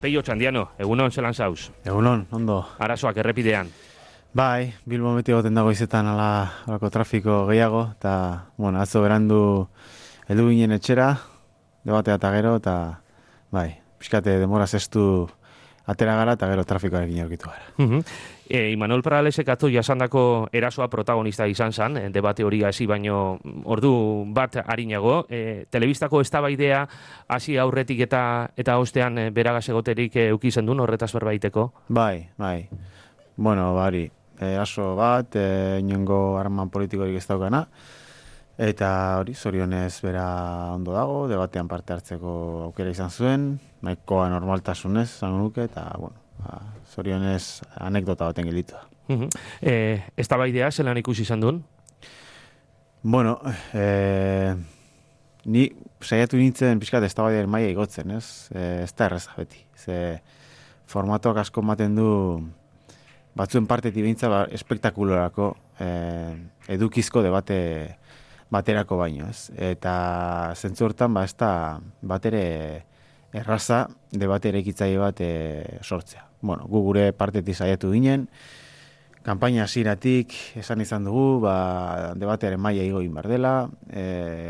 Peio Txandiano, egunon zelan zauz? Egunon, ondo. Arazoak errepidean. Bai, Bilbo beti goten dago izetan alako trafiko gehiago, eta, bueno, atzo berandu heldu ginen etxera, debatea eta gero, eta, bai, pixkate demora zestu atera gara, eta gero trafikoarekin aurkitu gara. Imanol Paralesek atzo jasandako erasoa protagonista izan zen, debate hori hasi baino ordu bat arinago. Telebistako eztabaidea hasi aurretik eta ostean beragaz egoterik eduki zendun horretaz berbaiteko? Bai. Bueno, bari, eraso bat, inongo harreman politikorik ez daukana, eta hori, zorionez bera ondo dago, debatean parte hartzeko aukera izan zuen, nahikoa normaltasunez, zango nuke, eta, bueno, zorionez anekdota baten gelitu da. Eztabaidea zelan ikusi izan duen? Bueno, ni saiatu nintzen pixkat eztabaidearen maila igotzen, ez? Ez da erreza beti. Ze formatoak asko ematen du batzuen partetik behintza espektakulorako edukizko debate baterako baino, ez? Eta zentzu hortan, ez da batere erraza debate erekitzaile bat sortzea. Bueno, gu gure partetik saiatu ginen, kanpaina hasieratik esan izan dugu, debatearen maila igo egin behar dela,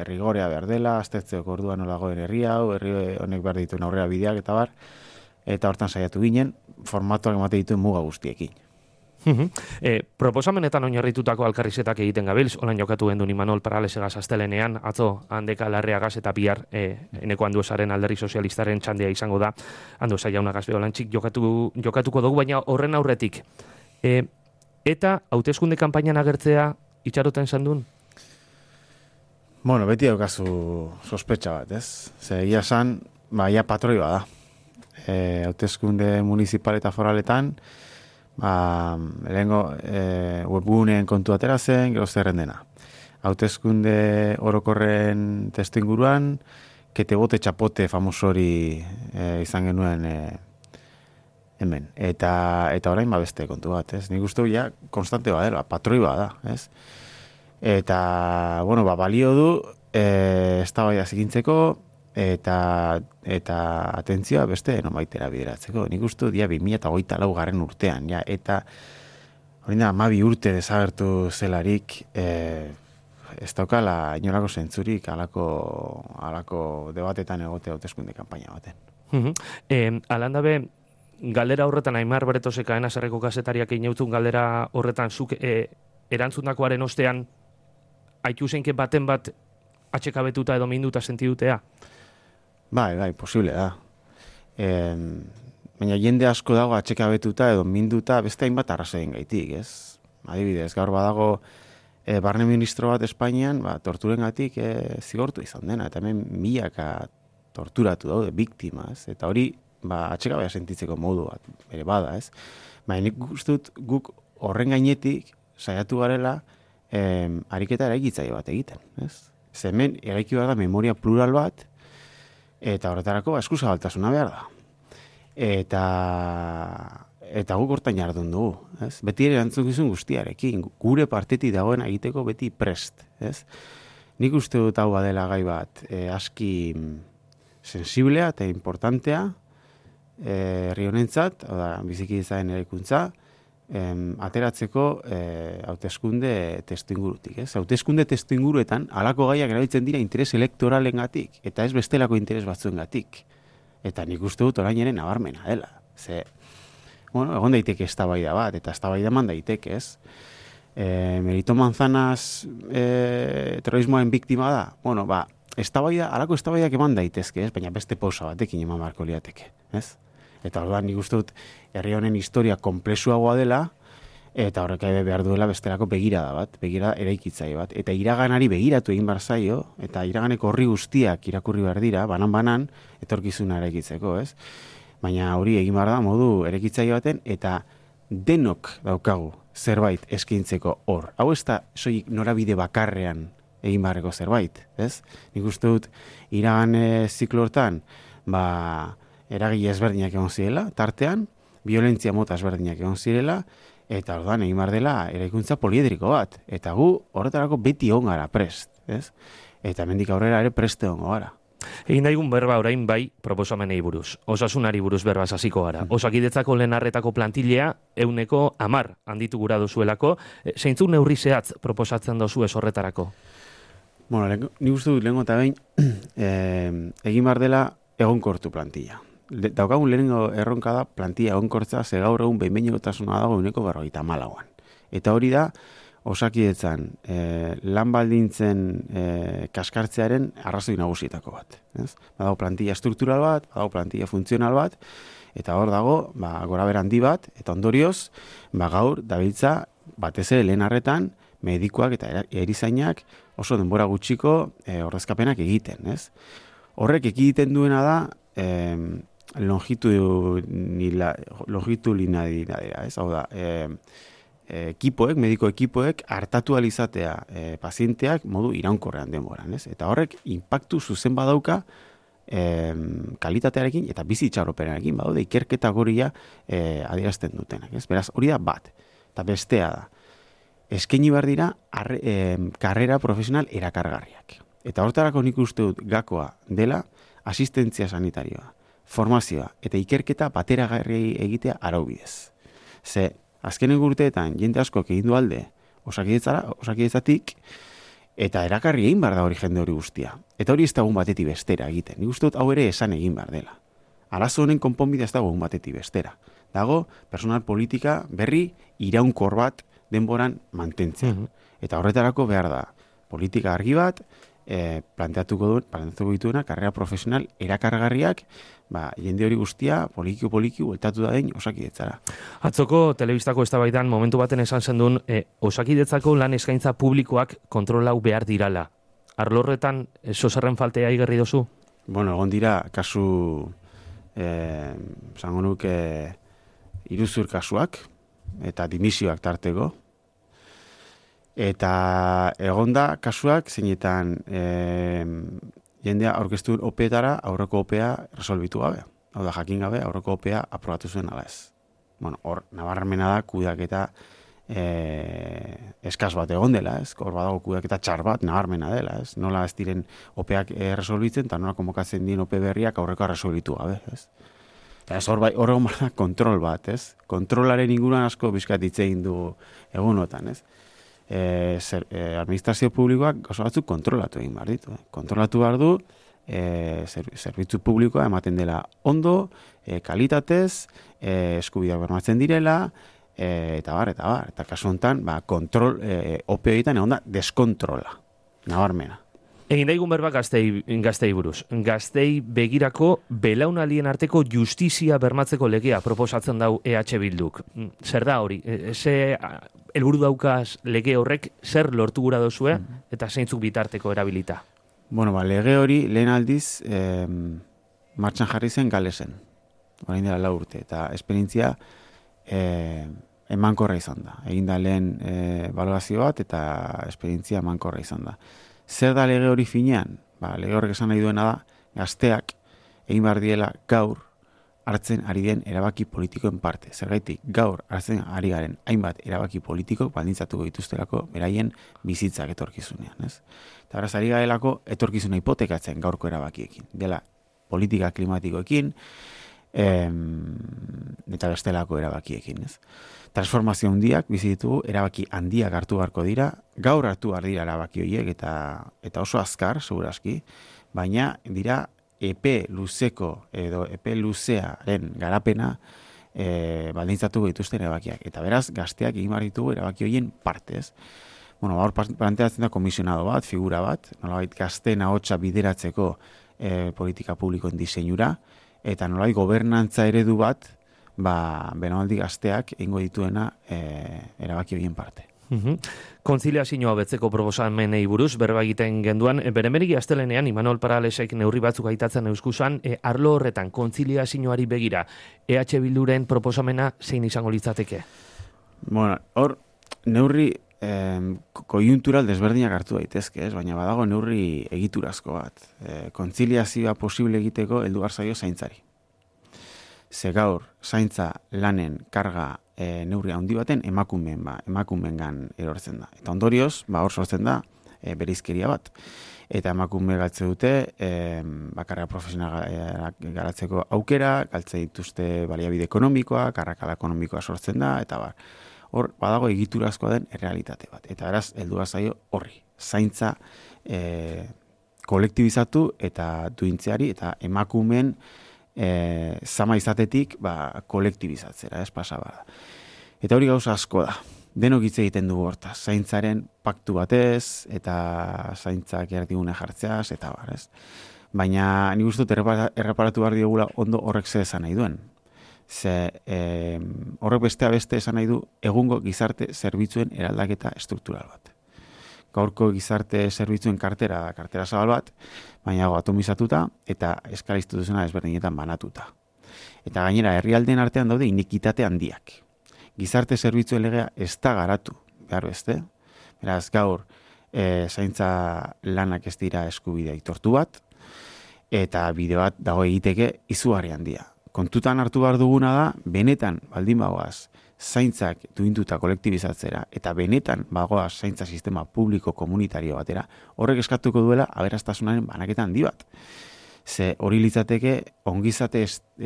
rigorea behar dela, aztertzeko orduan nolagoen herri hau, herri honek behar dituen aurrera bideak eta bar, eta hortan saiatu ginen, formatoak emate dituen muga guztiekin. Proposamenetan oinarritutako alkarrizetak egiten gabilz, olan jokatu gendun Imanol Paralesegaz astelenean, atzo Handeka Larreagaz eta bihar eneko Anduezaren alderri sozialistaren txandea izango da, Andueza jaunagaz beholantzik jokatuko dugu, baina horren aurretik. Eta hauteskunde kanpainan agertzea itxaroten zandun? Bueno, beti daukazu sospetxa bat, ez? Ze egia esan, ia patroi bada. Hauteskunde municipal eta foraletan, lehengo webguneen kontu atera zen, gero zerren dena. Hauteskunde orokorren testu inguruan, kete bote txapote famosori izan genuen hemen. Eta orain beste kontu bat, ez? Nik uste ja konstante badela, patroi bada, ez? Eta, bueno, balio du eztabaida zikintzeko eta atentzioa beste nomaitera bideratzeko. Nik uste dia 2024 garren urtean, ja, eta hori da 12 urte desagertu zelarik ez daukala inolako zentzurik alako debatetan egote hauteskunde kanpaina baten. Alandabe, galdera horretan Aimar Bretoseka enazarreko kazetariak ineutun galdera horretan zuk erantzundakoaren ostean haitu zeinke baten bat atxekabetuta edo minduta sentidutea? Bai, posible da. Baina jende asko dago atxekabetuta edo minduta beste hainbat arrazoien gaitik, ez? Adibidez, gaur badago barne ministro bat Espainian, torturengatik zigortu izan dena, eta hemen milaka torturatu daude, biktima, ez? Eta hori, atxekabea sentitzeko modu bat, bere bada, ez? Baina nik gustut guk horren gainetik saiatu garela ariketa eraikitzaile bat egiten, ez? Hemen eraiki behar da memoria plural bat, eta horretarako eskuzabaltasuna behar da. Eta guk hortan jardun dugu, ez? Beti ere erantzukizun guztiarekin, gure partetik dagoen egiteko beti prest, ez? Nik uste dut hau badela gai bat aski sensiblea eta importantea herri honentzat, biziki izaen eraikuntza, ateratzeko hauteskunde testuingurutik, ez? Hauteskunde testuinguruetan halako gaiak erabiltzen dira interes elektoralengatik eta ez bestelako interes batzuengatik. Eta nik uste dut orain ere nabarmena dela. Ze, bueno, egon daiteke eztabaida bat eta eztabaida eman daiteke, ez? Merito Manzanas terrorismoaren biktima da. Bueno, halako eztabaidak eman daitezke, ez? Baina beste pausa batekin eman beharko liateke, ez? Eta orduan nik uste dut herri honen historia konplexuagoa dela, eta horrek behar duela bestelako begirada bat, begirada eraikitzaile bat. Eta iraganari begiratu egin behar zaio, eta iraganeko horri guztiak irakurri behar dira, banan, etorkizuna eraikitzeko, ez? Baina hori egin behar da modu eraikitzaile baten, eta denok daukagu zerbait eskaintzeko hor. Hau ez da soilik norabide bakarrean egin beharreko zerbait, ez? Nik uste dut iragan ziklo hortan, eragile ezberdinak egon zirela, tartean, violentzia mota ezberdinak egon zirela, eta orduan egin behar dela eraikuntza poliedriko bat. Eta gu horretarako beti egon gara prest, ez? Eta hemendik aurrera ere preste egongo gara. Egin daigun berba orain bai proposamenei buruz. Osasunari buruz berba hasiko gara. Osakidetzako lehen arretako plantilea 110 handitu gura dozuelako. Zeintzuk neurri zehatz proposatzen dozu ez horretarako? Bueno, nik uste dut lehenko eta behin egin behar dela egonkortu plantilla. Daukagun lehenengo erronka da plantilla egonkortza, ze gaur egun behin-behinekotasuna dago 154an. Eta hori da, Osakidetzan lan baldintzen kaskartzearen arrazoi nagusietako bat. Ez? Badago plantilla struktural bat, badago plantilla funtzional bat, eta hor dago gorabehera handi bat, eta ondorioz gaur dabiltza batez ere lehen arretan medikuak eta erizainak oso denbora gutxiko ordezkapenak egiten. Ez? Horrek ekiditen duena da longitudinalidadea, ez? Hau da, mediko ekipoek hartatu alizatea pazienteak modu iraunkorrean denboran, ez? Eta horrek inpaktu zuzen badauka kalitatearekin eta bizi itxaropenarekin badaude ikerketa goria adierazten dutenak, ez? Beraz, hori da bat. Eta bestea da, eskaini behar dira karrera profesional erakargarriak. Eta hortarako nik uste dut gakoa dela asistentzia sanitarioa, formazioa eta ikerketa bateragarri egitea araubidez. Ze, azkenen urteetan jende askok egin du alde osakidetzatik eta erakarri egin behar da hori jende hori guztia. Eta hori ez da egun batetik bestera egiten. Nik uste dut hau ere esan egin behar dela. Arazo honen konponbidea ez dago egun batetik bestera. Dago personal politika berri iraunkor bat denboran mantentzea. Eta horretarako behar da politika argi bat, planteatuko dituena karrera profesional erakargarriak, jende hori guztia poliki bueltatu da den Osakidetzara. Atzoko telebistako eztabaidan momentu baten esan zendun Osakidetzako lan eskaintza publikoak kontrolau behar dirala. Arlo horretan zozerren faltea igerri dozu? Bueno, egon dira kasu zango nuke iruzur kasuak eta dimisioak tarteko. Eta egonda kasuak zeinetan jendea aurkeztu opeetara aurreko opea resolbitu gabe. Hau da, jakin gabe aurreko opea aprobatu zuen ala ez. Bueno, hor nabarmena da kudeaketa eskaz bat egon dela, ez? Hor badago kudeaketa txar bat nabarmena dela, ez? Nola ez diren opeak resolbitzen eta nola konbokatzen dien ope berriak aurrekoa resolbitu gabe, ez? Eta ez hor egon da kontrol bat, ez? Kontrolaren inguruan asko bizkat hitz egin du egunotan, ez? Administrazio publikoak oso batzuk kontrolatu egin behar ditu. Kontrolatu behar du, zerbitzu publikoa ematen dela ondo, kalitatez, eskubideak bermatzen direla, eta bar. Eta kasu honetan, kontrol ope egiten egon da deskontrola, nabarmena. Egin daigun berba gaztei buruz. Gaztei begirako belaunaldien arteko justizia bermatzeko legea proposatzen dau EH Bilduk. Zer da hori? Ze helburu daukaz lege horrek zer lortu gura dozue eta zeintzuk bitarteko erabilita? Bueno, lege hori lehen aldiz martxan jarri zen Galesen. Orain dela 4 urte. Eta esperientzia emankorra izan da. Egin da lehen balorazio bat eta esperientzia emankorra izan da. Zer da lege hori finean? Lege horrek esan nahi duena da, gazteak egin behar diela gaur hartzen ari den erabaki politikoen parte. Zergaitik, gaur hartzen ari garen hainbat erabaki politikok baldintzatuko dituztelako beraien bizitzak etorkizunean. Ez? Eta beraz, ari garelako etorkizuna hipotekatzen gaurko erabakiekin. Dela politika klimatikoekin eta bestelako erabakiekin. Ez? Transformazio handiak bizi ditugu, erabaki handiak hartu beharko dira, gaur hartu behar dira erabaki horiek eta oso azkar, segurazki, baina dira epe luzeko edo epe luzearen garapena baldintzatuko dituzten erabakiak. Eta beraz, gazteak egin behar ditugu erabaki horien partez. Bueno, hor planteatzen da komisionado bat, figura bat, nolabait gazteen ahotsa bideratzeko politika publikoen diseinura, eta nolabait gobernantza eredu bat, belaunaldi gazteak egingo dituena erabaki horien parte. Kontziliazioa betzeko proposamenei buruz berba egiten genduan, beremeriki astelenean Imanol Paralesek neurri batzuk aitatzen euskusan, arlo horretan kontziliazioari begira, EH Bilduren proposamena zein izango litzateke? Bueno, hor neurri koiuntural desberdinak hartu daitezke, ez? Baina badago neurri egiturazko bat. Kontziliazioa posible egiteko heldu behar zaio zaintzari. Ze gaur zaintza lanen karga neurri handi baten emakumeengan erortzen da. Eta ondorioz, hor sortzen da bereizkeria bat. Eta emakume galtze dute, bakarra profesionala garatzeko aukera, galtze dituzte baliabide ekonomikoa, karrakala ekonomikoa sortzen da, eta bar. Hor, badago egiturazkoa den errealitate bat. Eta beraz, heldu zaio horri. Zaintza kolektibizatu eta duintzeari, eta emakumeen zama izatetik kolektibizatzera, ez pasaba. Eta hori gauza asko da. Denok hitz egiten dugu hortaz, zaintzaren paktu batez, eta zaintzak erdigune jartzeaz, eta bar, ez? Baina nik uste dut erreparatu behar diogula ondo horrek ze esan nahi duen. Ze horrek beste esan nahi du egungo gizarte zerbitzuen eraldaketa struktural bat. Gaurko gizarte zerbitzuen kartera zabal bat, baina atomizatuta eta eskala instituzionala ezberdinetan banatuta. Eta gainera herrialdeen artean daude inikitate handiak. Gizarte zerbitzuen legea ez da garatu, behar beste. Beraz, gaur, zaintza lanak ez dira eskubidea aitortu bat, eta bide bat dago egiteke izugarri handia. Kontutan hartu behar duguna da, benetan baldin bagoaz, zaintzak duintuta kolektibizatzera, eta benetan bagoaz zaintza sistema publiko komunitario batera, horrek eskatuko duela aberastasunaren banaketa handi bat. Ze hori litzateke ongizate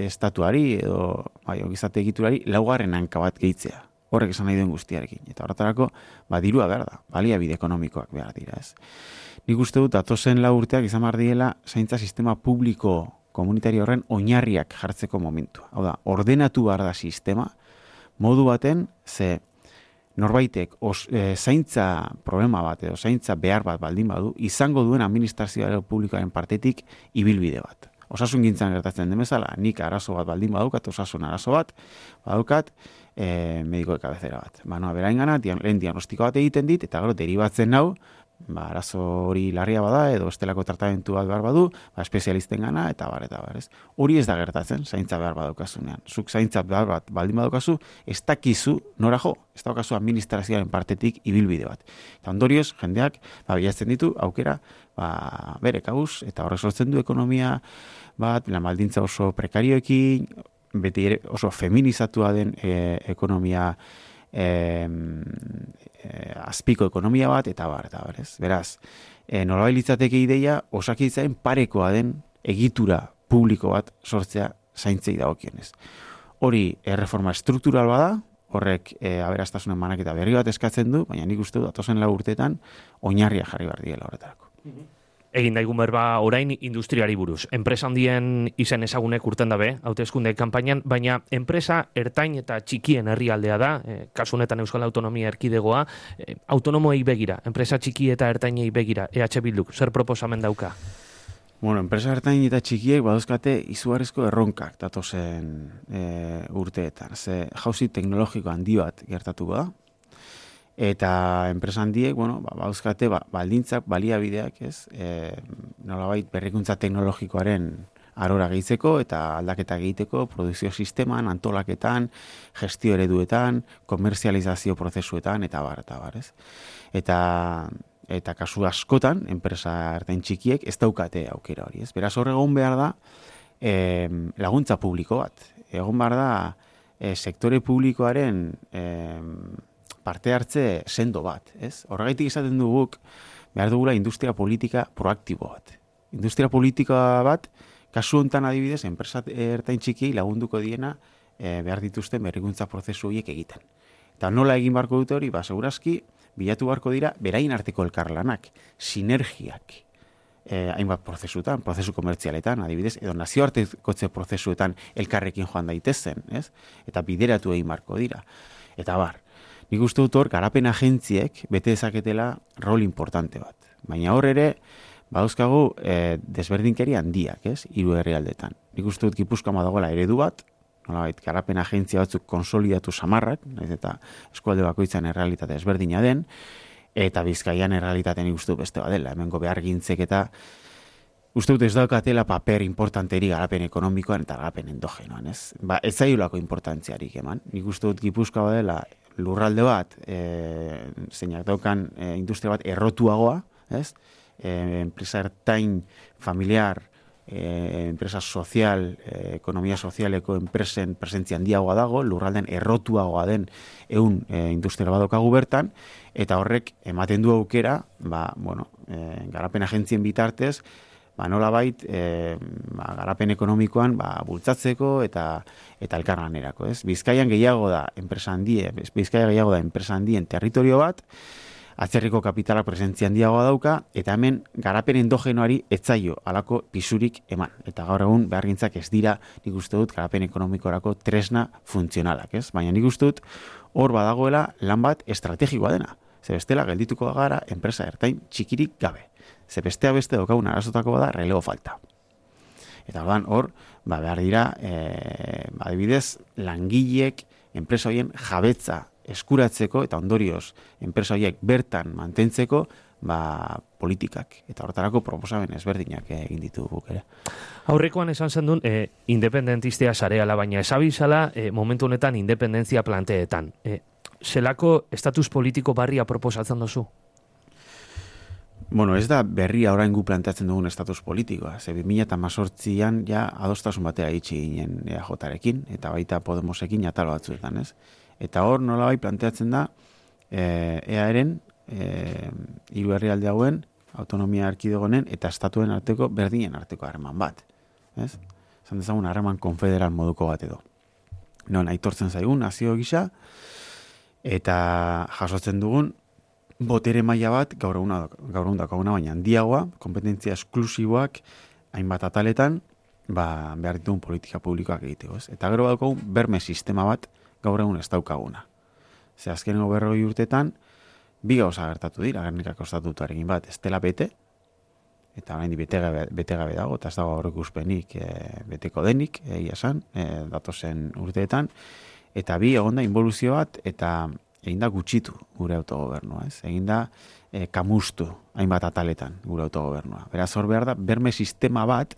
estatuari edo ongizate egiturari laugarren hanka bat gehitzea. Horrek esan nahi duen guztiarekin. Eta horretarako, dirua behar da, baliabide ekonomikoak behar dira, ez. Nik uste dut, datozen 4 urteak izan behar diela zaintza sistema publiko komunitario horren oinarriak jartzeko momentua. Hau da, ordenatu behar da sistema, modu baten, ze norbaitek zaintza problema bat edo zaintza behar bat baldin badu, izango duen administrazioa publikoaren partetik ibilbide bat. Osasun gintzan gertatzen den bezala, nik arazo bat baldin badaukat, osasun arazo bat, badaukat mediko kabezera bat. Beraingana, lehen diagnostiko bat egiten dit, eta gero deribatzen nau, arazo hori larria bada, edo estelako tratamentu bat behar badu, espezialisten gana, eta bar, ez. Hori ez da gertatzen, zaintza behar badaukazunean. Zuk zaintza behar bat baldin badaukazu, ez dakizu nora jo, ez daukazu administrazioaren partetik ibilbide bat. Eta ondorioz, jendeak, bilatzen ditu, aukera, bere kabuz, eta horrek sortzen du ekonomia bat, baldintza oso prekarioekin, beti ere oso feminizatua den ekonomia azpiko ekonomia bat, eta bar, ez? Beraz, nolabait litzateke ideia, osakidetzaren parekoa den egitura publiko bat sortzea zaintzei dagokionez. Hori erreforma struktural bada, horrek aberastasunen banaketa berri bat eskatzen du, baina nik uste dut datozen 4 urteetan oinarria jarri behar diela horretarako. Egin daigun berba orain industriari buruz. Enpresa handien izen ezagunek urten dabe, hauteskunde kanpainan, baina enpresa ertain eta txikien herrialdea da, kasu honetan Euskal Autonomia Erkidegoa, autonomoei begira, enpresa txiki eta ertainei begira, EH Bilduk, zer proposamen dauka? Bueno, enpresa ertain eta txikiek baduzkate izugarrizko erronkak datozen urteetan. Ze jauzi teknologiko handi bat gertatuko da, eta enpresa handiek, baduzkate baldintzak, baliabideak, ez, nolabait berrikuntza teknologikoaren arora gehitzeko eta aldaketa egiteko, produkzio sisteman, antolaketan, gestio ereduetan, komerzializazio prozesuetan, eta bar, ez. Eta kasu askotan, enpresa ertain txikiek ez daukate aukera hori, ez. Beraz hor egon behar da laguntza publiko bat. Egon behar da sektore publikoaren parte hartze sendo bat, ez? Horregaitik izaten duguk behar dugula industria politika proaktibo bat. Industria politika bat, kasu hontan adibidez, enpresa ertain txikiei lagunduko diena behar dituzten berrikuntza prozesu horiek egiten. Eta nola egin barko dute hori, segurazki, bilatu barko dira, berain arteko elkarlanak, sinergiak, hainbat prozesuetan, prozesu komertzialetan, adibidez, edo nazioartekotze prozesuetan elkarrekin joan daitezen, ez? Eta bideratu egin barko dira. Eta bar, nik uste dut hor, garapen agentziek bete dezaketela rol importante bat. Baina hor ere, badauzkagu desberdinkeri handiak, ez? 3 herrialdetan. Nik uste dut Gipuzkoan badagoela eredu bat, nolabait, garapen agentzia batzuk konsolidatu samarrak, naiz eta eskualde bakoitzan errealitate ezberdina den, eta Bizkaian errealitatean nik uste dut beste badela, hemengo behargintzek eta uste dut ez daukatela paper importanteri garapen ekonomikoan eta garapen endogenoan, ez? Ez zaiolako importantziarik eman. Nik uste dut Gipuzkoa badela lurralde bat, zeinak daukan industria bat errotuagoa, ez? Enpresa ertain familiar enpresa sozial, ekonomia sozialeko enpresen presentzia handiagoa dago, lurralden errotuagoa den industrial badokagu bertan, eta horrek ematen du aukera, garapen agentzien bitartez, nolabait garapen ekonomikoan bultzatzeko eta elkarlanerako, ez? Bizkaian gehiago da enpresa handien territorio bat, atzerriko kapitalak presentzia handiagoa dauka, eta hemen garapen endogenoari etzaio alako pisurik eman. Eta gaur egun behargintzak ez dira, nik uste dut, garapen ekonomikorako tresna funtzionalak, ez? Baina nik uste dut, hor badagoela lan bat estrategikoa dena. Ze bestela geldituko gara enpresa ertain txikirik gabe. Ze bestea beste daukagun arazotako bada relego falta. Eta hor, behar dira, adibidez, langileek enpresa horien jabetza eskuratzeko eta ondorioz enpresa horiek bertan mantentzeko politikak eta horretarako proposamen ezberdinak egin ditugu ere. Aurrekoan esan zendun independentistea sareala, baina esabizala momentu honetan independentzia planteetan. Zelako estatus politiko barria proposatzen duzu? Ez da berria orain gu planteatzen dugun estatus politikoa. 2018an ja adostasun batera itxi ginen EAJarekin eta baita Podemosekin atal batzuetan, ez? Eta hor nolabai planteatzen da EAren hiru herrialde hauen autonomia erkidegonen eta estatuen arteko berdinen arteko harreman bat, ez? Esan dezagun harreman konfederal moduko bat edo. Aitortzen zaigun nazio gisa eta jasotzen dugun botere maila bat gaur egun daukaguna baina handiagoa, konpetentzia esklusiboak hainbat ataletan behar ditugun politika publikoak egiteko, ez? Eta gero daukagun berme sistema bat gaur egun ez daukaguna. Ze azkenengo 40 urtetan, bi gauza gertatu dira, Gernikako estatutuarekin bat, ez dela bete, eta orain bete gabe dago, eta ez dago aurreko uspenik beteko denik, egia esan, datozen urteetan, eta bi egon da involuzio bat, eta egin da gutxitu gure autogobernua, ez? Egin da kamustu hainbat ataletan gure autogobernua. Beraz, hor behar da, berme sistema bat,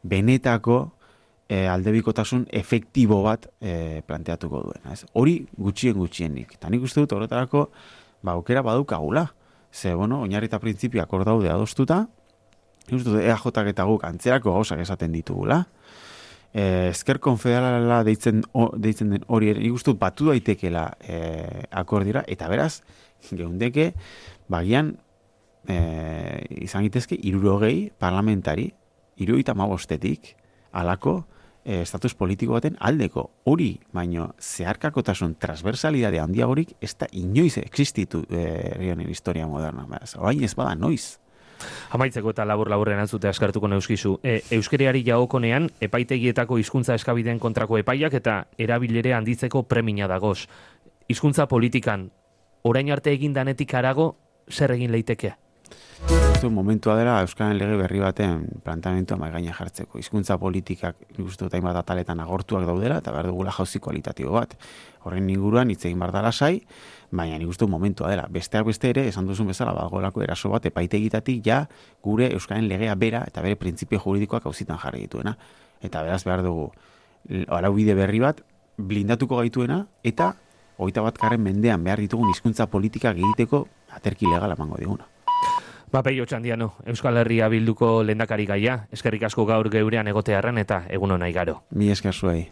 benetako aldebikotasun efektibo bat planteatuko duena. Ez? Hori gutxienik. Eta nik uste dut horretarako aukera badaukagula. Ze, oinarri eta printzipioak hor daude adostuta, nik uste dut EAJak eta guk antzerako gauzak esaten ditugula. Ezker konfederala deitzen den hori nik uste dut batu daitekela akordira, eta beraz, geundeke, bagian izan gitezke 60 parlamentari, 75 alako estatus politiko baten aldeko hori, baino zeharkakotasun transversalidade handiagorik ez da inoiz existitu herrionen historia moderna. Orain ez bada noiz. Amaitzeko eta labur-laburren antzute askartuko neuskizu. Euskeriari jagokonean, epaitegietako hizkuntza eskabideen kontrako epaiak eta erabilere handitzeko premia dagoz. Hizkuntza politikan, orain arte egin danetik harago, zer egin leiteke? Momentua dela Euskaren lege berri baten planteamentua mahai gaina jartzeko. Hizkuntza politikak nik uste dut hainbat ataletan agortuak daudela eta behar dugula jauzi kualitatibo bat. Horren inguruan hitz egin behar da lasai, baina nik uste dut momentua dela. Besteak beste ere, esan duzun bezala, badagoelako eraso bat epaitegitatik ja gure Euskaren legea bera eta bere printzipio juridikoak auzitan jarri dituena. Eta beraz behar dugu araubide berri bat blindatuko gaituena eta 21. mendean behar ditugun hizkuntza politikak egiteko aterki legal emango diguna. Peio Txandiano, Euskal Herria Bilduko lehendakari gaia, eskerrik asko gaur geurean egotearren eta egun on nahi garo. Mi esker zuei.